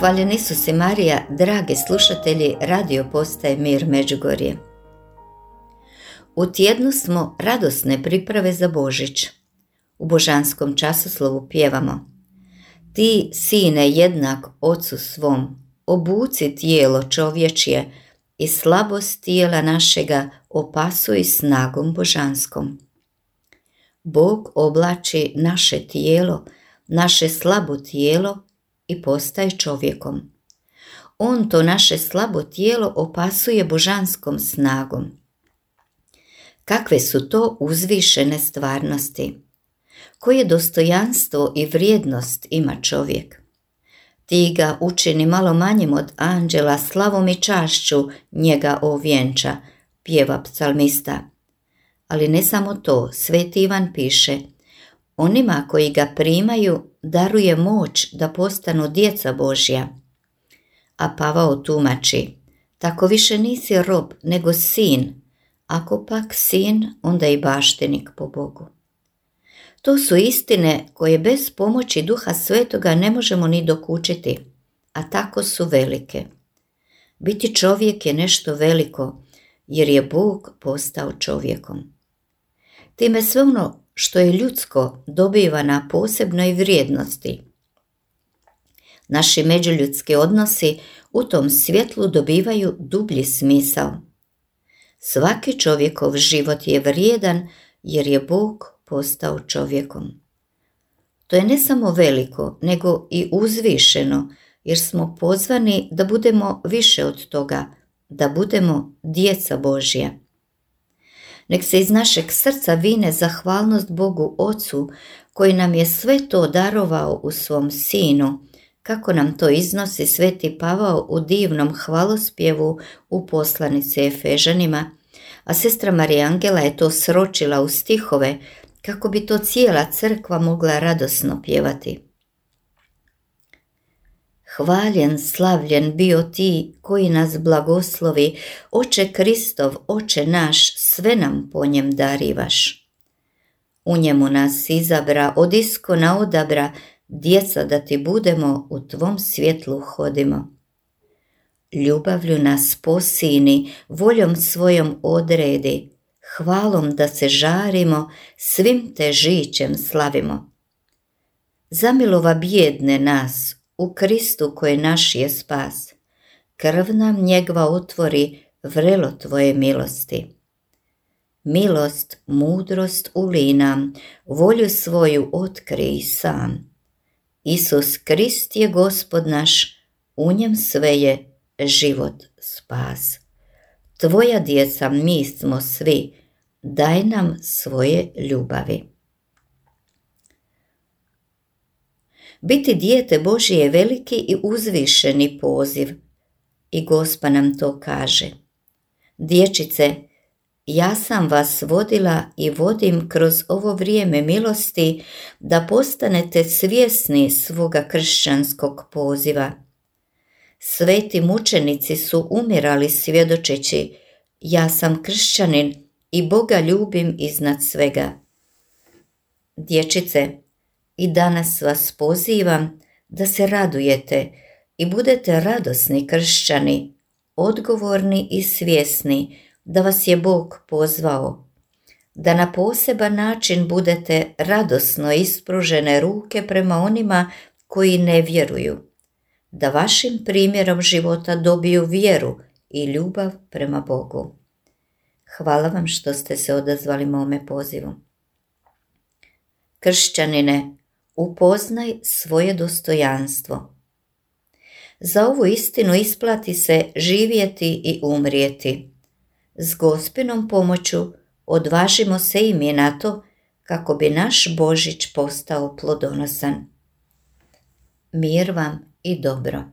Hvaljen Isus i Marija, dragi slušatelji radio postaje Mir Međugorje. U tjednu smo radosne priprave za Božić. U božanskom časoslovu pjevamo: Ti, sine jednak ocu svom, obuci tijelo čovječje i slabost tijela našega opasuj snagom božanskom. Bog oblači naše tijelo, naše slabo tijelo i postaje čovjekom. On to naše slabo tijelo opasuje božanskom snagom. Kakve su to uzvišene stvarnosti? Koje dostojanstvo i vrijednost ima čovjek? Ti ga učini malo manjim od anđela, slavom i čašću njega ovjenča, pjeva psalmista. Ali ne samo to, Sveti Ivan piše: onima koji ga primaju daruje moć da postanu djeca Božja. A Pavao tumači: tako više nisi rob, nego sin. Ako pak sin, onda i baštenik po Bogu. To su istine koje bez pomoći Duha Svetoga ne možemo ni dokučiti, a tako su velike. Biti čovjek je nešto veliko, jer je Bog postao čovjekom. Time sve ono što je ljudsko dobiva na posebnoj vrijednosti. Naši međuljudski odnosi u tom svjetlu dobivaju dublji smisao. Svaki čovjekov život je vrijedan jer je Bog postao čovjekom. To je ne samo veliko, nego i uzvišeno, jer smo pozvani da budemo više od toga, da budemo djeca Božja. Nek se iz našeg srca vine zahvalnost Bogu Ocu, koji nam je sve to darovao u svom Sinu, kako nam to iznosi Sveti Pavao u divnom hvalospjevu u poslanici Efežanima, a sestra Marija Angela je to sročila u stihove kako bi to cijela crkva mogla radosno pjevati. Hvaljen, slavljen bio ti koji nas blagoslovi, Oče Kristov, Oče naš, sve nam po njem darivaš. U njemu nas izabra, od iskona odabra, djeca da ti budemo, u tvom svjetlu hodimo. Ljubavlju nas posini, voljom svojom odredi, hvalom da se žarimo, svim te žićem slavimo. Zamilova bjedne nas, u Kristu koji naš je spas, krv nam njegova otvori, vrelo tvoje milosti. Milost, mudrost ulij nam, volju svoju otkrij sam. Isus Krist je Gospod naš, u njem sve je život, spas. Tvoja djeca mi smo svi, daj nam svoje ljubavi. Biti dijete Božje je veliki i uzvišeni poziv. I Gospa nam to kaže: dječice, ja sam vas vodila i vodim kroz ovo vrijeme milosti da postanete svjesni svoga kršćanskog poziva. Sveti mučenici su umirali svjedočeći: ja sam kršćanin i Boga ljubim iznad svega. Dječice, i danas vas pozivam da se radujete i budete radosni kršćani, odgovorni i svjesni da vas je Bog pozvao, da na poseban način budete radosno ispružene ruke prema onima koji ne vjeruju, da vašim primjerom života dobiju vjeru i ljubav prema Bogu. Hvala vam što ste se odazvali mome pozivu. Kršćanine, upoznaj svoje dostojanstvo. Za ovu istinu isplati se živjeti i umrijeti. S Gospinom pomoću odvažimo se i mi na to kako bi naš Božić postao plodonosan. Mir vam i dobro.